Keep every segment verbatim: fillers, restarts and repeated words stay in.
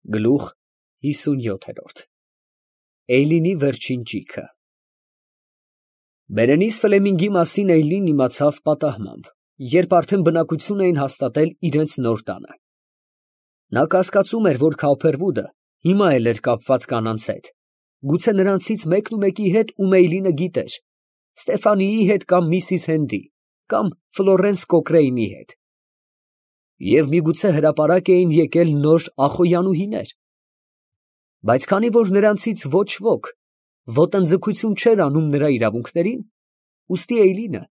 Գլուխ հիսունյոթ։ Էյլինի վերջին ճիգը։ Բերենիս Ֆլեմինգի մասին Էյլին իմացավ պատահմամբ, երբ արդեն բնակություն էին հաստատել իրանց նոր տանը. նա կասկածում էր, որ Քոփերվուդը հիմա էլ էր կապված կանանց հետ, գուցե նրանցից մեկն ու մեկի հետ, ում Էյլինը գիտեր, Ստեֆանիի հետ կամ միսիս Հենդի, կամ Ֆլորենս Կոկրեյնի հետ, և միգուցե հրապարակ էին եկել նոր ախոյանուհիներ, բայց քանի որ նրանցից ոչ ոք ոտնձգություն չէր անում նրա իրավունքներին, ուստի Էյլինը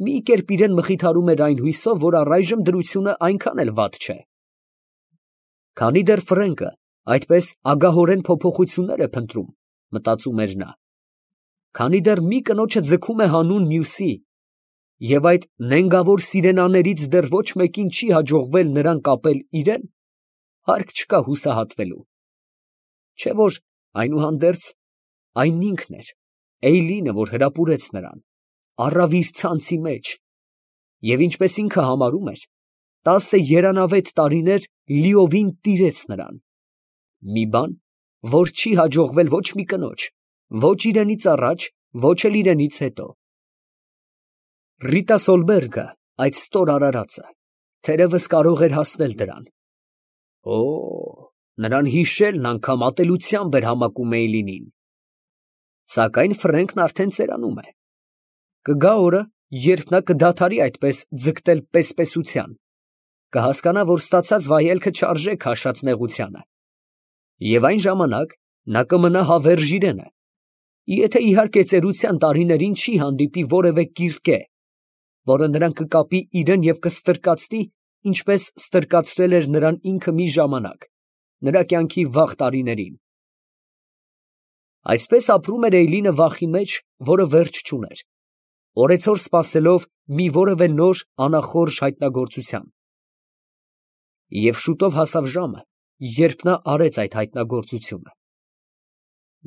մի կերպ իրան մխիթարում էր այն հույսով, որ առայժմ դրությունը այնքան էլ վատ չէ։ Քանի դեռ Ֆրենկը այդպես ագահորեն փոփոխություններ է փնտրում, մտածում էր նա, քանի դեռ մի կնոջը ձգում է հանուն մյուսի, և այդ նենգավոր սիրենաներից դեռ ոչ մեկին չի հաջողվել նրան կապել իրան, հարկ չկա հուսահատվելու, չէ որ այնուհանդերձ այն ինքն էր, Էյլինը, որ հրապուրեց նրան, առավ իր ցանցի մեջ, և ինչպես ինքը համարում էր, տասը երանավետ տարիներ լիովին տիրեց նրան, մի բան, որ չի հաջողվել ոչ մի կնոջ, ոչ իրենից առաջ, ոչ էլ իրենից հետո։ Ռիտա Սոլբերգը, այդ ստոր արարածը, թերևս կարող էր հասնել դրան։ Օ, նրան հիշելն անգամ ատելությամբ էր համակում Էյլինին։ Սակայն Ֆրենկն արդեն ծերանում է։ Կգա օրը, երբ նա կդադարի այդպես ձգտել պես֊պեսության, կհասկանա, որ ստացած վայելքը չարժե քաշած նեղությանը, և այն ժամանակ նա կմնա հավերժ իրանը, եթե իհարկե ծերության տարիներին չի հանդիպի որևէ կիրկե, որը նրան կկապի իրան և կստրկացնի, ինչպես ստրկացրել էր նրան ինքը մի ժամանակ, նրա կյանքի վաղ տարիներին։ Այսպես ապրում էր Էյլինը վախի մեջ, որը վերջ չուներ, օրեցօր սպասելով մի որևէ նոր անախորժ հայտնագործության։ Եվ շուտով հասավ ժամը, երբ նա արեց այդ հայտնագործությունը։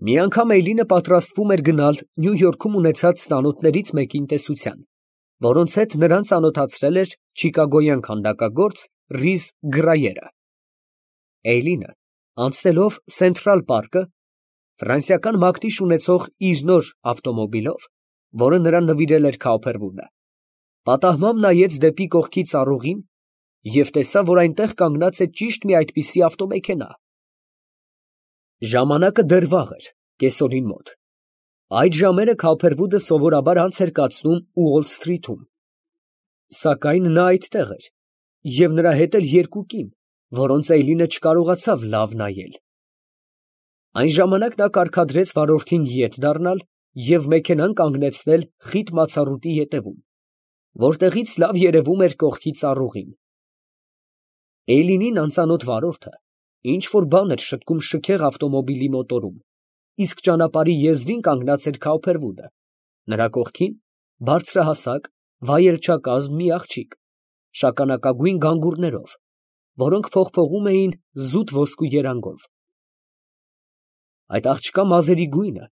Մի անգամ Էյլինը պատրաստվում էր գնալ Նյու Յորքում ունեցած ծանոթներից մեկին տեսության, որոնց հետ նրան ծանոթացրել էր չիկագոյան քանդակագործ Ռիզ Գրայերը։ Էյլինը, անցնելով Սենթրալ պարկը, ֆրանսիական մակնիշ ունեցող իր նոր ավտոմոբիլով, որը նրան նվիրել էր Քոփերվուդը, պատահմամբ նայեց դեպի կողքի ծառուղին և տեսավ, որ այնտեղ կանգնած է ճիշտ մի այդպիսի ավտոմեքենա։ Ժամանակը դեռ վաղ էր, կեսօրին մոտ։ Այդ ժամերը Քոփերվուդը սովորաբար անց էր կացնում Ուոլ Սթրիթում, սակայն նա այդտեղ էր, և նրա հետ էլ երկու կին, որոնց Էյլինը չկարողացավ լավ նայել։ Այն ժամանակ նա կարգադրեց վարորդին ետ դառնալ և մեքենան կանգնեցնել խիտ մացառուտի ետևում, որտեղից լավ երևում էր կողքի ծառուղին։ Էյլինին անծանոթ վարորդը ինչ֊որ բան էր շտկում շքեղ ավտոմոբիլի մոտորում, իսկ ճանապարհի եզրին կանգնած էր Քոփերվուդը, նրա կողքին բարձրահասակ, վայելչակազմ մի աղջիկ, շագանակագույն գանգուրներով, որոնք փողփողում էին զուտ ոսկու երանգով։ Այդ աղջկա մազերի գույնը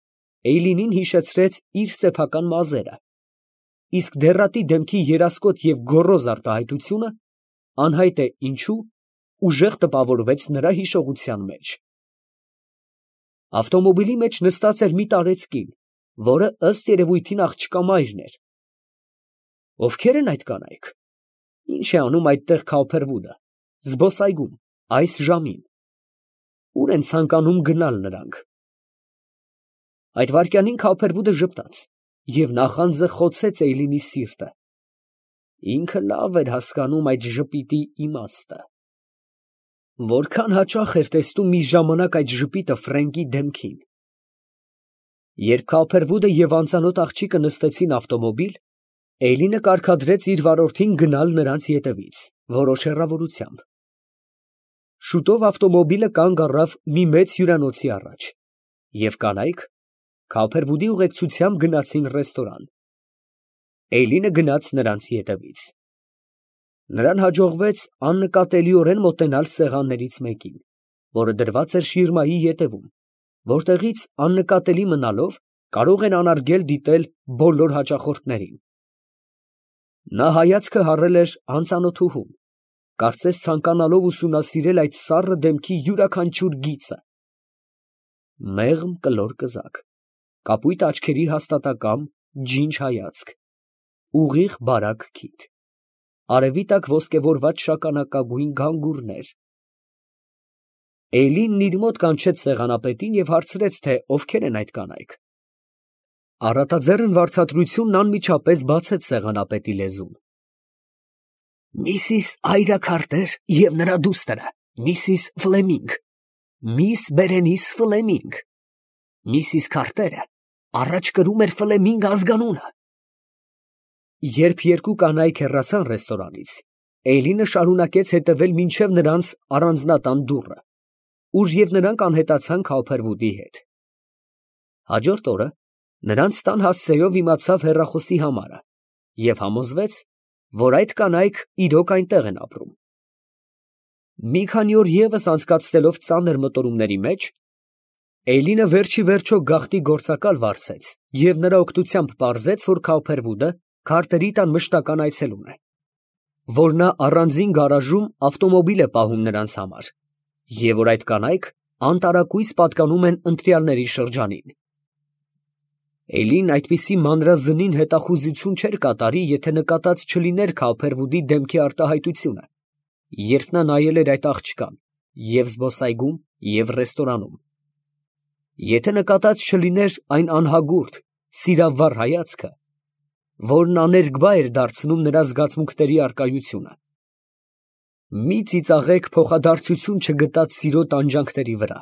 Էյլինին հիշեցրեց իր սեփական մազերը, իսկ դեռատի դեմքի երասկոտ և գոռոզ արտահայտությունը, անհայտ է ինչու, ուժեղ տպավորվեց նրա հիշողության մեջ։ Ավտոմոբիլի մեջ նստած էր մի տարեց կին, որը ըստ երևույթին աղջկա մայրն էր։ Ովքե՞ր են այդ կանայք, ի՞նչ է անում այդտեղ Քոփերվուդը, զբոսայգում, այս ժամին, ո՞ւր են ցանկանում գնալ նրանք։ Այդ վայրկյանին Քոփերվուդը ժպտաց, և նախանձը խոցեց Էյլինի սիրտը։ Ինքը լավ էր հասկանում այդ ժպիտի իմաստը։ Որքան հաճախ էր տեսնում մի ժամանակ այդ ժպիտը Ֆրենկի դեմքին։ Երբ Քոփերվուդը և անծանոթ աղջիկը նստեցին ավտոմոբիլ, Էյլինը կարգադրեց իր վարորդին գնալ նրանց ետևից, որոշ հեռավորությամբ։ Շուտով ավտոմոբիլը կանգ առավ մի մեծ հյուրանոցի առաջ, և կանայք Քոփերվուդի ուղեկցությամբ գնացին ռեստորան։ Էյլինը գնաց նրանց ետևից։ Նրան հաջողվեց աննկատելիորեն մոտենալ սեղաններից մեկին, որը դրված էր շիրմայի ետևում, որտեղից աննկատելի մնալով կարող են անարգել դիտել բոլոր հաճախորդներին։ Նա հայացքը հառել էր անծանոթուհուն, կարծես ցանկանալով ուսումնասիրել այդ սառը դեմքի յուրաքանչյուր գիծը։ Մեղմ կլոր կզակ, կապույտ աչքերի հաստատակամ ջինջ հայացք, ուղիղ բարակ քիթ, արևի տակ ոսկեվորված շագանակագույն գանգուրներ։ Էյլինն իր մոտ կանչեց սեղանապետին և հարցրեց, թե ովքեր են այդ կանայք։ Առատաձեռն վարձատրությունն անմիջապես բացեց սեղանապետի լեզուն։ Միսիս Այրա Քարտեր և նրա դուստրը, միսիս Ֆլեմինգ, միս Բերենիս Ֆլեմինգ։ Միսիս Քարտերը առաջ կրում էր Ֆլեմինգ ազգանունը։ Երբ երկու կանայք հեռացան ռեստորանից, Էյլինը շարունակեց հետևել մինչև նրանց առանձնատան դուռը, ուր և նրանք անհետացան Քաուփերվուդի հետ։ Հաջորդ օրը նրանց տան հասցեով իմացավ հեռախոսի համարը և համոզվեց, որ այդ կանայք իրոք այնտեղ են ապրում։ Մի քանի օր ևս անցկացնելով ծանր մտորումների մեջ, Էյլինը վերջի վերջո գաղտնի գործակալ վարձեց և նրա օգնությամբ պարզեց, որ Քաուփերվուդը Քարտերի տան մշտական այցելուն է, որ նա առանձին գարաժում ավտոմոբիլ է պահում նրանց համար, և որ այդ կանայք անտարակույս պատկանում են ընտրյալների շրջանին։ Էյլին այդպիսի մանրազնին հետախուզություն չէր կատարի, եթե նկատած չլիներ Քաուփերվուդի դեմքի արտահայտությունը, երբ նա նայել էր այդ աղջկան և զբոսայգում, և ռեստորանում, եթե նկատած չլիներ այն անհագուրդ, սիրավառ հայացքը, որն աներկբա էր դարձնում նրա զգացմունքների առկայությունը։ Մի ծիծաղեք փոխադարձություն չգտած սիրո տանջանքների վրա։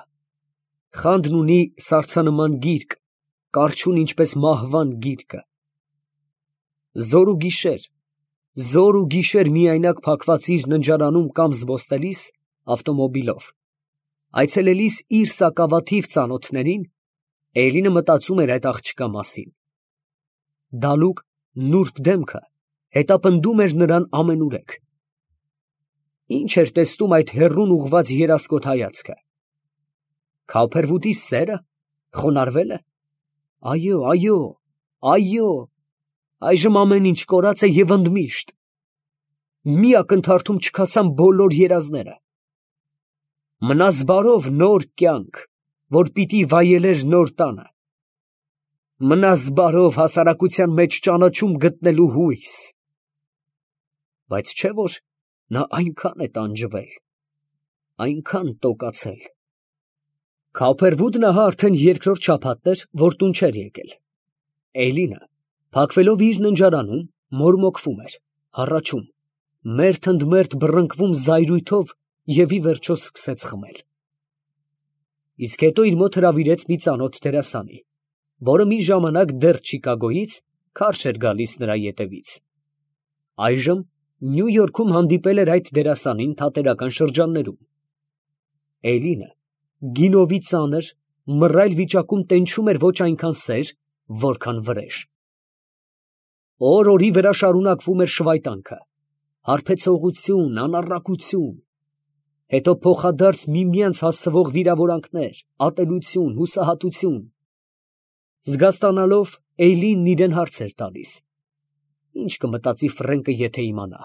Խանդն ունի սառցանման գիրկ, կառչուն ինչպես մահվան գիրկը։ Զոր ու գիշեր, զոր ու գիշեր միայնակ փակված իր ննջարանում կամ զբոսնելիս ավտոմոբիլով, այցելելիս իր սակավաթիվ ծանոթներին, Էյլինը մտածում էր այդ աղջկա մասին։ Դալուկ, նուրբ դեմքը հետապնդում էր նրան ամենուրեք։ Ինչ էր տեսնում այդ հեռուն ուղղված երասկոտ հայացքը։ Քաուփերվուդի սե՞րը խոնարհվել է։ Այո, այո, այո, այժմ ամեն ինչ կորած է և ընդմիշտ։ Մի ակնթարթում չքացան բոլոր երազները։ Մնաս բարով նոր կյանք, որ պիտի վայելեր նոր տանը։ Մնաս բարով հասարակության մեջ ճանաչում գտնելու հույս։ Բայց չէ՞ որ նա այնքան է տանջվել, այնքան տոկացել։ Քաուփերվուդն ահա արդեն երկրորդ շաբաթն էր, որ տուն չէր եկել։ Էյլինը, փակվելով իր ննջարանում, մորմոքվում էր, հառաչում, մերթ ընդ մերթ բռնկվում զայրույթով և ի վերջո սկսեց խմել։ Իսկ հետո իր մոտ հրավիրեց մի ծանոթ դերասանի, որը մի ժամանակ դեռ Չիկագոյից քարշ էր գալիս նրա ետևից։ Այժմ Նյու Յորքում հանդիպել էր այդ դերասանին թատերական շրջաններում։ Էյլինը գինովի ծանր, մռայլ վիճակում տենչում էր ոչ այնքան սեր, որքան վրեժ։ Օր֊օրի վրա շարունակվում էր շվայտանքը, հարբեցողություն, անառակություն, հետո փոխադարձ միմյանց հասցվող վիրավորանքներ, ատելություն, հուսահատություն։ Զգաստանալով, Էյլինն իրան հարց էր տալիս. ինչ կմտածի Ֆրենկը, եթե իմանա,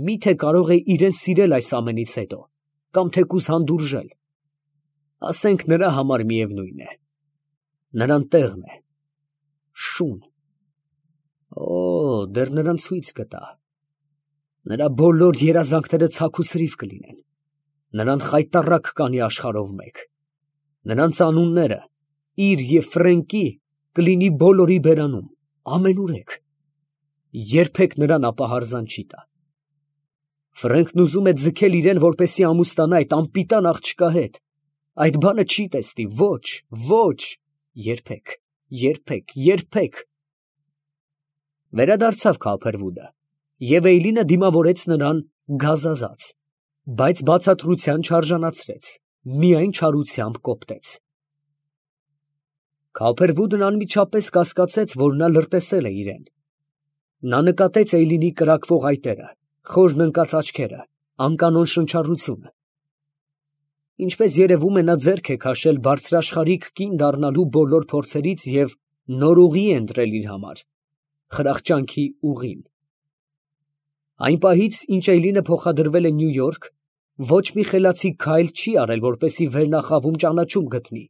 միթե կարող է իրեն սիրել այս ամենից հետո, կամ թեկուզ հանդուրժել, ասենք նրա համար միևնույն է, նրան տեղն է, շուն, օ, դեռ նրան ցույց կտա, նրա բոլոր երազանքները ցաք ու ցրիվ կլինեն, նրան խայտառակ կանի աշխարհով մեկ, նրանց անունները իր և Ֆրենկի կլինի բոլորի բերանում, ամենուրեք, երբեք նրան ապահարզան չի տա։ Ֆրենկն ուզում է ձգել իրեն, որպեսզի ամուսնանա այդ անպիտան աղջկա հետ, այդ բանը չի տեսնի, ոչ, ոչ, երբեք, երբեք, երբեք։ Վերադարձավ Քաուփերվուդը, և Էյլինը դիմավորեց նրան գազազած, բայց բացատրության չարժանացրեց, միայն չարությամբ կոպտեց։ Քաուփերվուդն անմիջապես կասկածեց, որ նա լրտեսել է իրեն։ Նա նկատեց Էյլինի կրակվող այտերը, խորն ընկած աչքերը, անկանոն շնչառությունը։ Ինչպես երևում է, նա ձեռք է քաշել բարձրաշխարհիկ կին դառնալու բոլոր փորձերից և նոր ուղի է ընտրել իր համար, խրախճանքի ուղին։ Այն պահից, ինչ Էյլինը փոխադրվել է Նյու Յորք, ոչ մի խելացի քայլ չի արել, որպեսզի վերնախավում ճանաչում գտնի,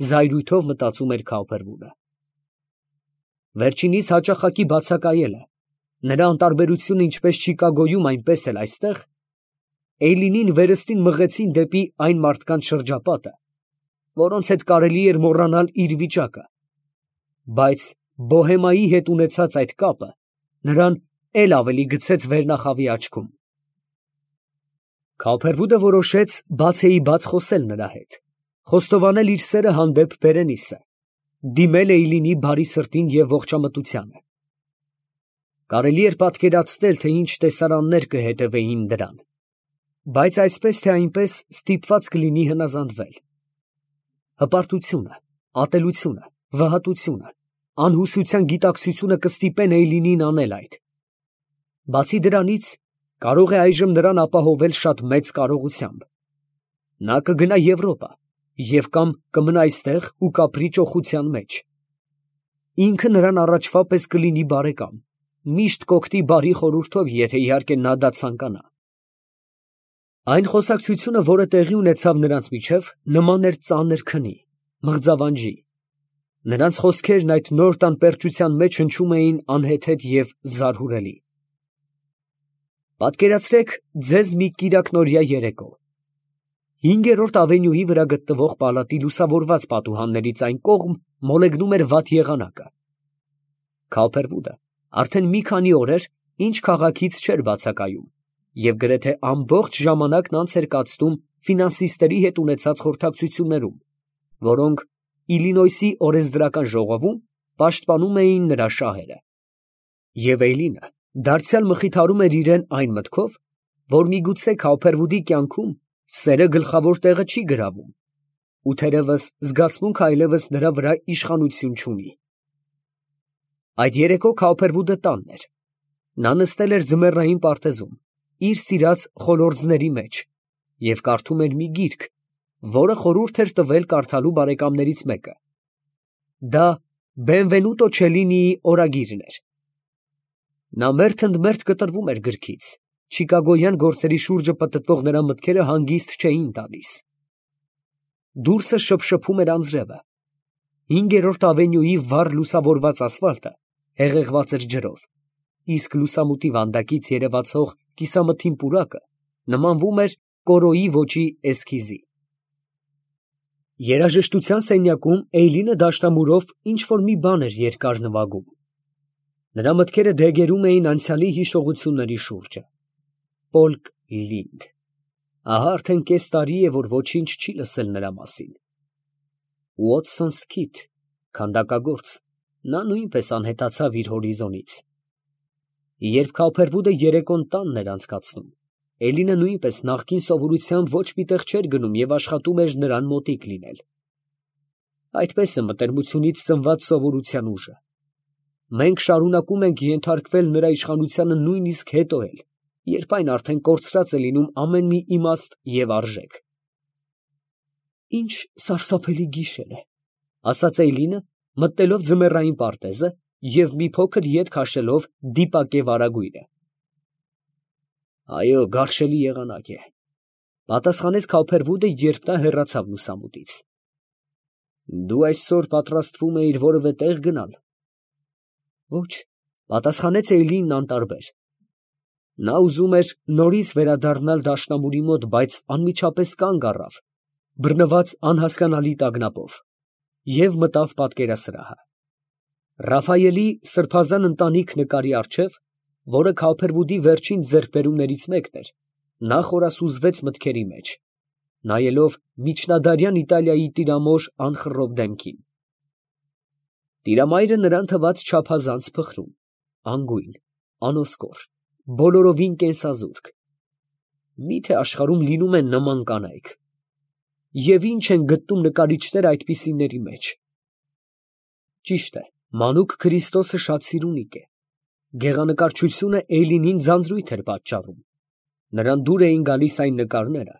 զայրույթով մտածում էր Քաուփերվուդը։ Վերջինիս հաճախակի բացակայել է, նրա անտարբերությունը ինչպես Չիկագոյում, այնպես էլ այստեղ, Էյլինին վերստին մղեցին դեպի այն մարդկանց շրջապատը, որոնց հետ կարելի էր մոռանալ իր վիճակը, բայց Բոհեմայի հետ ունեցած այդ կապը նրան էլ ավելի գցեց վերնախավի աչքում։ Քաուփերվուդը որոշեց բացեի բաց խոսել նրա հետ, խոստովանել իր սերը հանդեպ Բերենիսը, դիմել Էյլինի բարի սրտին և ողջամտությանը։ Կարելի էր պատկերացնել, թե ինչ տեսարաններ կհետևեին դրան, բայց այսպես թե այնպես ստիպված կլինի հնազանդվել։ Հպարտությունը, ատելությունը, վհատությունը, անհուսության գիտակցությունը կստիպեն Էյլինին անել այդ։ Բացի դրանից, կարող է այժմ նրան ապահովել շատ մեծ կարողությամբ։ Նա կգնա Եվրոպա և կամ կմնա այստեղ ու կապրի ճոխության մեջ։ Ինքը նրան առաջվա պես կլինի բարեկամ, միշտ կօգնի բարի խորհուրդով, եթե իհարկե նա դա ցանկանա։ Այն խոսակցությունը, որը տեղի ունեցավ նրանց միջև, նման էր ծանր քնի, մղձավանջի։ Նրանց խոսքերն այդ նոր տանպերճության մեջ հնչում էին անհեթեթ և զարհուրելի։ Պատկերացրեք ձեզ մի կիրակնօրյա երեկո։ Հինգերորդ ավենյուի վրա գտնվող պալատի լուսավորված պատուհաններից այն կողմ մոլեգնում էր վատ եղանակը։ Քաուփերվուդը արդեն մի քանի օր էր, ինչ քաղաքից չէր բացակայում, և գրեթե ամբողջ ժամանակն անց էր կացնում ֆինանսիստերի հետ ունեցած խորհրդակցություններում, որոնք Իլինոյսի օրենսդրական ժողովում պաշտպանում էին նրա շահերը։ Եվ Էյլինը դարձյալ մխիթարում էր իրեն այն մտքով, որ միգուցե Քաուփերվուդի կյանքում սերը գլխավոր տեղը չի գրավում, ու թերևս զգացմունքը այլևս նրա վրա իշխանություն չունի։ Այդ երեկո Քաուփերվուդը տանն էր։ Նա նստել էր ձմեռային պարտեզում, իր սիրած խոլորձների մեջ, և կարդում էր մի գիրք, որը խորհուրդ էր տվել կարդալու բարեկամներից մեկը։ Դա Բենվենուտո Չելինիի օրագիրն էր։ Նա մերթ ընդ մերթ կտրվում էր գրքից, չիկագոյան գործերի շուրջը պտտվող նրա մտքերը հանգիստ չէին տալիս։ Դուրսը շփշփում էր անձրևը։ Հինգերորդ ավենյուի վառ լուսավորված ասֆալտը հեղեղված էր ջրով, իսկ լուսամուտի վանդակից երևացող կիսամթին պուրակը նմանվում էր կորոյի ոճի էսքիզի։ Երաժշտության սենյակում Էյլինը դաշնամուրով ինչ֊որ մի բան էր երկար նվագում։ Նրա մտքերը դեգերում էին անցյալի հիշողությունների շուրջը։ Պոլկ Լինդ։ Ահա արդեն կես տարի է, որ ոչինչ չի լսել նրա մասին։ Ուոտսոն Սքիթ, քանդակագործ, նա նույնպես անհետացավ իր հորիզոնից։ Երբ Քաուփերվուդը երեկոն տանն էր անցկացնում, Էլինը նույնպես նախկին սովորությամբ ոչ մի տեղ չէր գնում և աշխատում էր նրան մոտիկ լինել։ Այդպես է մտերմությունից ծնված սովորության ուժը։ Մենք շարունակում ենք ենթարկվել նրա իշխանությանը նույնիսկ հետո էլ, երբ այն արդեն կորցրած է լինում ամեն մի իմաստ և արժեք։ Ինչ սարսափելի գիշեր է, ասաց Էյլինը, մտնելով ձմեռային պարտեզը և մի փոքր ետ քաշելով դիպակե վարագույրը։ Այո, գարշելի եղանակ է, պատասխանեց Քաուփերվուդը, երբ նա հեռացավ լուսամուտից։ Դու այսօր պատրաստվում էիր որևէ տեղ գնալ։ Ոչ, պատասխանեց Էյլինն անտարբեր։ Նա ուզում էր նորից վերադառնալ դաշնամուրի մոտ, բայց անմիջապես կանգ առավ, բռնված անհասկանալի տագնապով, և մտավ պատկերասրահը։ Ռաֆայելի սրբազան ընտանիք նկարի առջև, որը Քաուփերվուդի վերջին ձեռքբերումներից մեկն էր, նա խորասուզվեց մտքերի մեջ, նայելով միջնադարյան Իտալիայի տիրամոր անխռով դեմքին։ Տիրամայրը նրան թվաց չափազանց փխրուն, անգույն, անոսկոր, բոլորովին կենսազուրկ։ Մի՞թե աշխարհում լինում են նման կանայք։ Եվ ի՞նչ են գտնում նկարիչները այդպիսիների մեջ։ Ճիշտ է, մանուկ Քրիստոսը շատ սիրունիկ է։ Գեղանկարչությունը Էյլինին ձանձրույթ էր պատճառում։ Նրան դուր էին գալիս այն նկարները,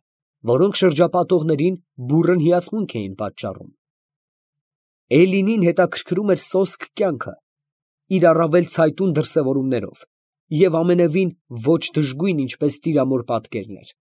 որոնք շրջապատողներին բուռն հիացմունք էին պատճառում։ Էյլինին հետաքրքրում էր սոսկ կյանքը, իր առավել ցայտուն դրսևորումներով, և ամենևին ոչ դժգույն, ինչպես տիրամոր պատկերներ։